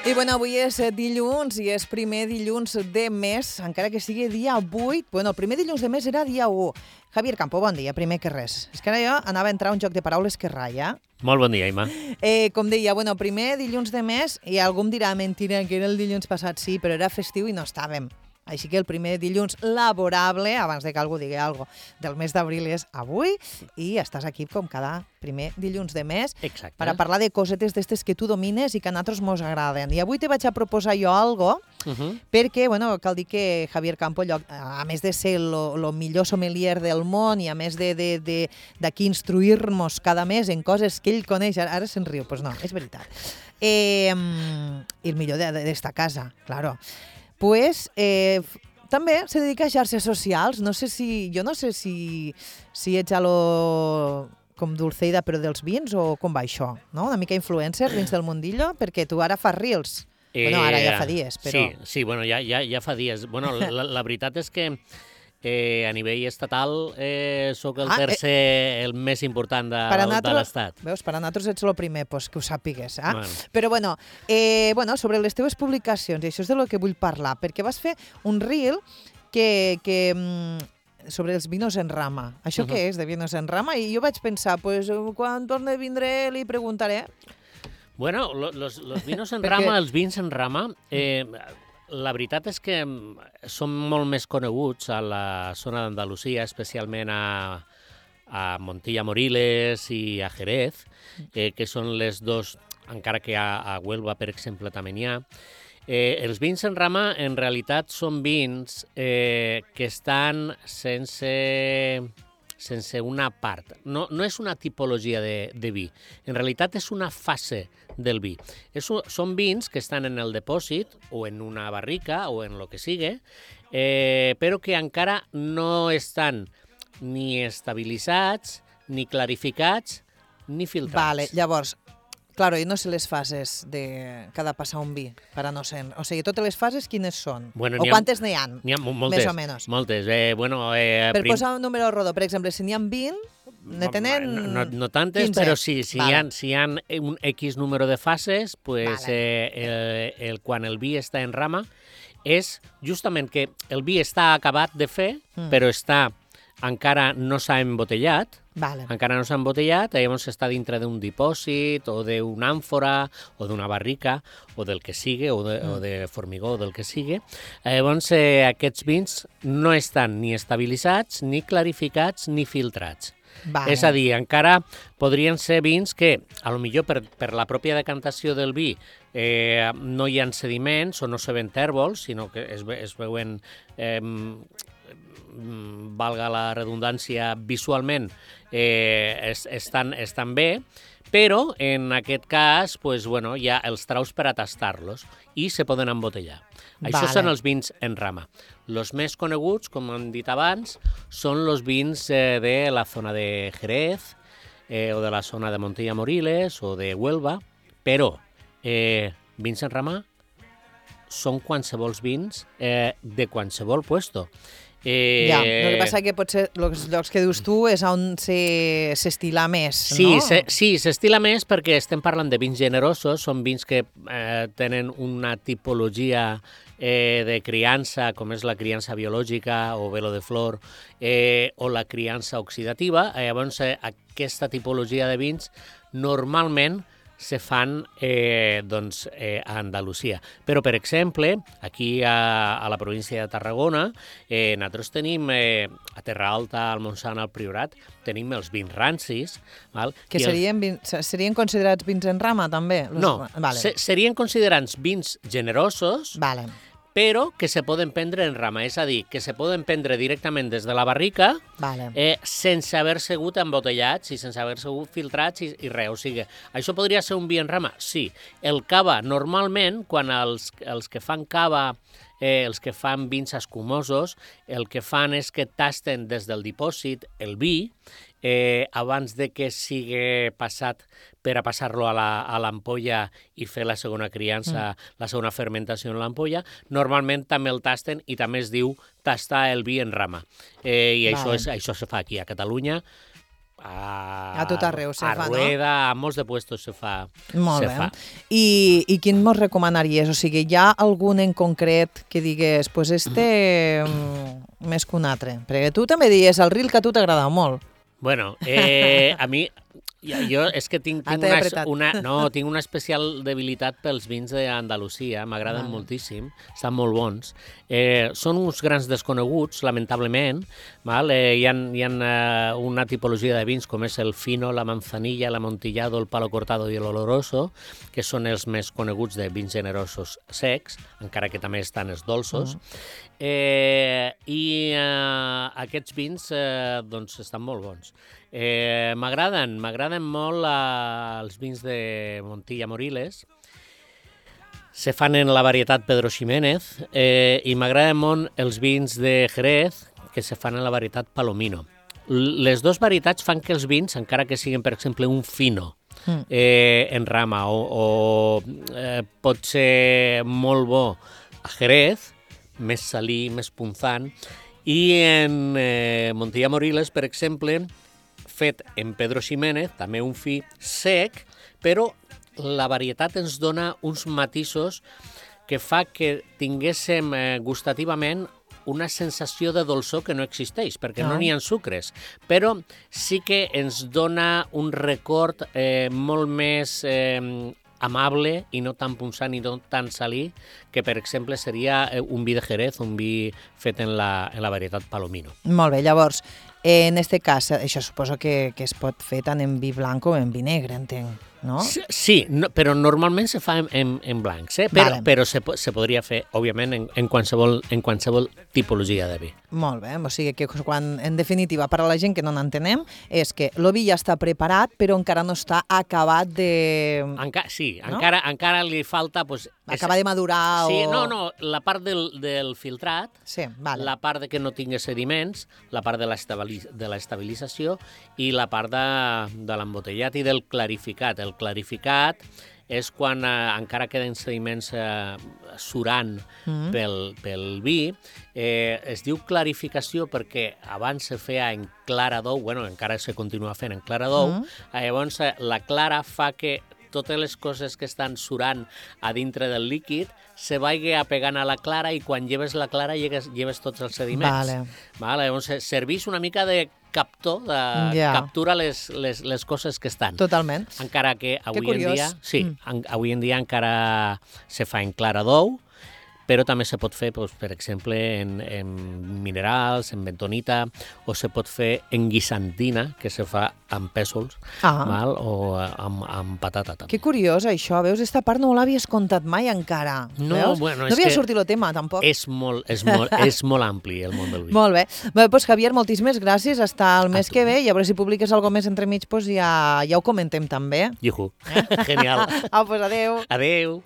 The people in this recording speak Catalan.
I bueno, avui és dilluns i és primer dilluns de mes, encara que sigui dia 8. Bueno, el primer dilluns de mes era dia 1. Javier Campo, bon dia, primer que res. És que ara jo anava a entrar a un joc de paraules que ratlla. Molt bon dia, Imma. Com deia, bueno, primer dilluns de mes, i algú em dirà mentira, que era el dilluns passat, sí, però era festiu i no estàvem. Així que el primer dilluns laborable, abans de que algú digui alguna cosa, del mes d'abril és avui, i estàs aquí com cada primer dilluns de mes. Exacte. Per a parlar de cosetes d'estes que tu domines i que a nosaltres mos agraden. I avui te vaig a proposar jo algo, perquè, bueno, cal dir que Javier Campo, a més de ser el millor sommelier del món i a més d'aquí instruir-nos cada mes en coses que ell coneix, ara se'n riu, doncs no, és veritat. I el millor d'esta casa, claro. Pues també se dedica a xarxes socials. Jo no sé si ets com Dulceida però dels vins o com va això, no? Una mica influencer dins del mundillo, perquè tu ara fas reels. Bueno, ara ja fa dies, però... Sí, bueno, ja fa dies. Bueno, la veritat és que a nivell estatal sóc el tercer, el més important de l'Estat. Veus, per a nosaltres ets el primer, pues, que ho sàpigues. Bueno. Però bueno, sobre les teves publicacions, i això és de lo que vull parlar, perquè vas fer un reel sobre els vinos en rama. Això què és, de vinos en rama? I jo vaig pensar, pues, quan torni a vindre li preguntaré. Bueno, los vinos en rama, els vins en rama... La veritat és que són molt més coneguts a la zona d'Andalusia, especialment a Montilla Moriles i a Jerez, que són les dos, encara que a Huelva, per exemple, també n'hi ha. Els vins en rama, en realitat, són vins que estan sense una part. No és una tipologia de vi. En realitat és una fase del vi. Són vins que estan en el depòsit o en una barrica o en el que sigui, però que encara no estan ni estabilitzats, ni clarificats, ni filtrats. Vale, llavors, claro, i no sé les fases que ha de passar un vi per a no ser... O sigui, totes les fases quines són? Bueno, o quantes n'hi ha? N'hi ha moltes. Més o menys. Moltes. Per posar un número rodó, per exemple, si n'hi ha 20, ne tenen... No tantes, 15. però sí, si hi ha un X número de fases, pues, quan el vi està en rama, és justament que el vi està acabat de fer, però encara no s'ha embotellat, encara no s'ha embotellat, llavors està dintre d'un dipòsit o d'una àmfora o d'una barrica o del que sigui, o de formigó o del que sigui. Llavors aquests vins no estan ni estabilitzats, ni clarificats, ni filtrats. És a dir, encara podrien ser vins que, a lo millor per la pròpia decantació del vi, no hi ha sediments o no se ven tèrbols, sinó que es veuen... valga la redundància, visualment estan bé, però en aquest cas pues, bueno, ja els traus per a tastar-los i se poden embotellar. Això són els vins en rama. Els més coneguts, com hem dit abans, són els vins de la zona de Jerez o de la zona de Montilla Moriles o de Huelva, però vins en rama són qualsevols vins de qualsevol puesto. El que passa que potser els llocs que dius tu és on s'estila més, no? Sí, s'estila més perquè estem parlant de vins generosos, són vins que tenen una tipologia de criança, com és la criança biològica o velo de flor, o la criança oxidativa. Llavors, aquesta tipologia de vins normalment se fan a Andalusia. Però, per exemple, aquí a la província de Tarragona, nosaltres tenim, a Terra Alta, al Montsant, al Priorat, tenim els vins rancis. Que serien considerats vins en rama, també? No, serien considerats vins generosos, però que se poden prendre en rama, és a dir, que se poden prendre directament des de la barrica sense haver sigut embotellats i sense haver sigut filtrats i res. O sigui, això podria ser un vi en rama? Sí. El cava, normalment, quan els que fan cava, els que fan vins escumosos, el que fan és que tasten des del dipòsit el vi abans de que sigui passat per a passar-lo a l'ampolla i fer la segona criança, la segona fermentació en l'ampolla, normalment també el tasten i també es diu tastar el vi en rama. I això se fa aquí a Catalunya A tot arreu se fa, no? A Rueda, a molts de puestos se fa. Molt bé. I quin mos recomanaries? O sigui, hi ha algun en concret que digués, pues més que un altre? Perquè tu també dies el ril que a tu t'agrada molt. Bueno, a mi... Jo és que tinc una especial debilitat pels vins d'Andalusia, m'agraden moltíssim, estan molt bons. Són uns grans desconeguts, lamentablement. Hi ha una tipologia de vins com és el fino, la manzanilla, l'Amontillado, el palo cortado i l'oloroso, que són els més coneguts de vins generosos secs, encara que també estan els dolços. I aquests vins doncs estan molt bons. M'agraden molt els vins de Montilla Moriles. Se fan en la varietat Pedro Ximénez i m'agraden molt els vins de Jerez que se fan en la varietat Palomino. Les dues varietats fan que els vins, encara que siguin, per exemple, un fino en rama o pot ser molt bo a Jerez, més salí, més punzant, i en Montilla Moriles, per exemple, fet en Pedro Ximénez, també un fi sec, però la varietat ens dona uns matisos que fa que tinguéssim gustativament una sensació de dolçor que no existeix, perquè no n'hi ha sucres, però sí que ens dona un record molt més amable i no tan punzant i no tan salí que, per exemple, seria un vi de Jerez, un vi fet en la varietat Palomino. Molt bé, llavors, en este cas, això suposo que es pot fer tant en vi blanc com en vi negre, entenc, no? Sí, però normalment se fa en blancs, però se podria fer, òbviament, en qualsevol tipologia de vi. Molt bé, o sigui que quan, en definitiva, per a la gent que no n'entenem, és que el vi ja està preparat, però encara no està acabat de... Sí, no? encara li falta... Acabar de madurar o... Sí, no, la part del filtrat, la part de que no tingui sediments, la part de l'estabilització i la part de l'embotellat i del clarificat. El clarificat és quan encara queden sediments surant pel vi. Es diu clarificació perquè abans se feia en clara d'ou, encara se continua fent en clara d'ou, llavors la clara fa que totes les coses que estan surant a dintre del líquid se vagi apegant a la clara i quan lleves la clara lleves tots els sediments. Llavors serveix una mica de captor, captura les coses que estan. Totalment. Encara que avui en dia encara se fa en clara d'ou, però també se pot fer, per exemple, en minerals, en bentonita, o se pot fer en guisantina, que se fa amb pèsols, o amb patata. També. Que curiós, això. Veus, aquesta part no l'havies contat mai encara. No havia sortit el tema, tampoc. És molt ampli, el món del vi. Molt bé. Doncs, Javier, moltíssimes gràcies. Hasta el mes que ve, i a veure si publiques alguna més entremig, ja ho comentem també. Juhu. Genial. Doncs adéu. Adéu.